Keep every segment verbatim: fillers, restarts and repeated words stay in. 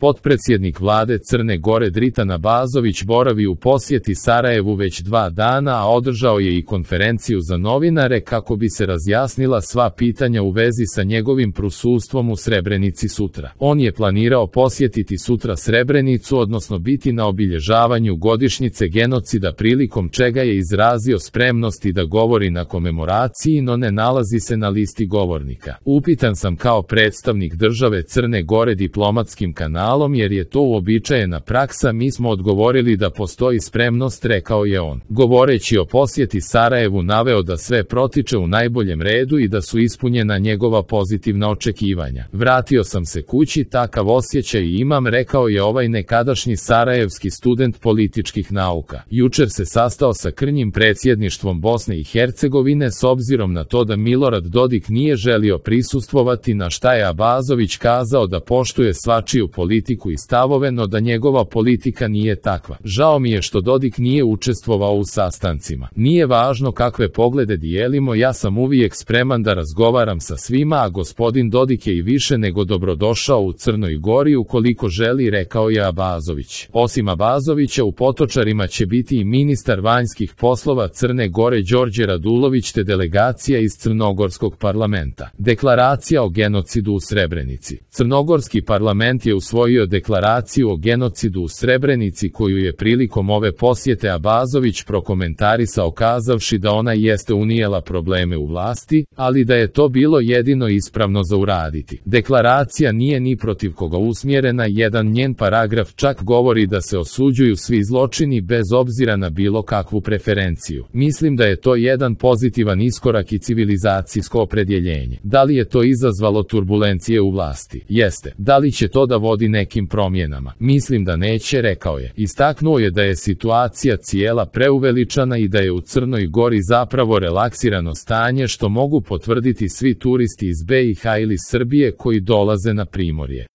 Potpredsjednik vlade Crne Gore Dritan Abazović boravi u posjeti Sarajevu već dva dana, a održao je i konferenciju za novinare kako bi se razjasnila sva pitanja u vezi sa njegovim prisustvom u Srebrenici sutra. On je planirao posjetiti sutra Srebrenicu, odnosno biti na obilježavanju godišnjice genocida, prilikom čega je izrazio spremnosti da govori na komemoraciji, no ne nalazi se na listi govornika. Upitan sam kao predstavnik države Crne Gore diplomatskim kanalom, jer je to uobičajena praksa, mi smo odgovorili da postoji spremnost, rekao je on. Govoreći o posjeti Sarajevu naveo da sve protiče u najboljem redu i da su ispunjena njegova pozitivna očekivanja. Vratio sam se kući, takav osjećaj imam, rekao je ovaj nekadašnji sarajevski student političkih nauka. Jučer se sastao sa krnjim predsjedništvom Bosne i Hercegovine s obzirom na to da Milorad Dodik nije želio prisustvovati, na šta je Abazović kazao da poštuje svačiju politiku i stavove, no da njegova politika nije takva. Žao mi je što Dodik nije učestvovao u sastancima. Nije važno kakve poglede dijelimo, ja sam uvijek spreman da razgovaram sa svima, a gospodin Dodik je i više nego dobrodošao u Crnoj Gori ukoliko želi, rekao je Abazović. Osim Abazovića u Potočarima će biti i ministar vanjskih poslova Crne Gore Đorđe Radulović te delegacija iz Crnogorskog parlamenta. Deklaracija o genocidu u Srebrenici. Crnogorski parlament je usvojio deklaraciju o genocidu u Srebrenici, koju je prilikom ove posjete Abazović prokomentarisao kazavši da ona jeste unijela probleme u vlasti, ali da je to bilo jedino ispravno za uraditi. Deklaracija nije ni protiv koga usmjerena, jedan njen paragraf čak govori da se osuđuju svi zločini bez obzira na bilo kakvu preferenciju. Mislim da je to jedan pozitivan iskorak i civilizacijsko opredjeljenje. Da li je to izazvalo turbulencije u vlasti? Jeste. Da li će to da vodi nekim promjenama? Mislim da neće, rekao je. Istaknuo je da je situacija cijela preuveličana i da je u Crnoj Gori zapravo relaksirano stanje, što mogu potvrditi svi turisti iz B i H ili Srbije koji dolaze na primorje.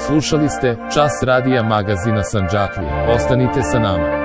Slušali ste Čas radija magazina Sandžaklija. Ostanite sa nama.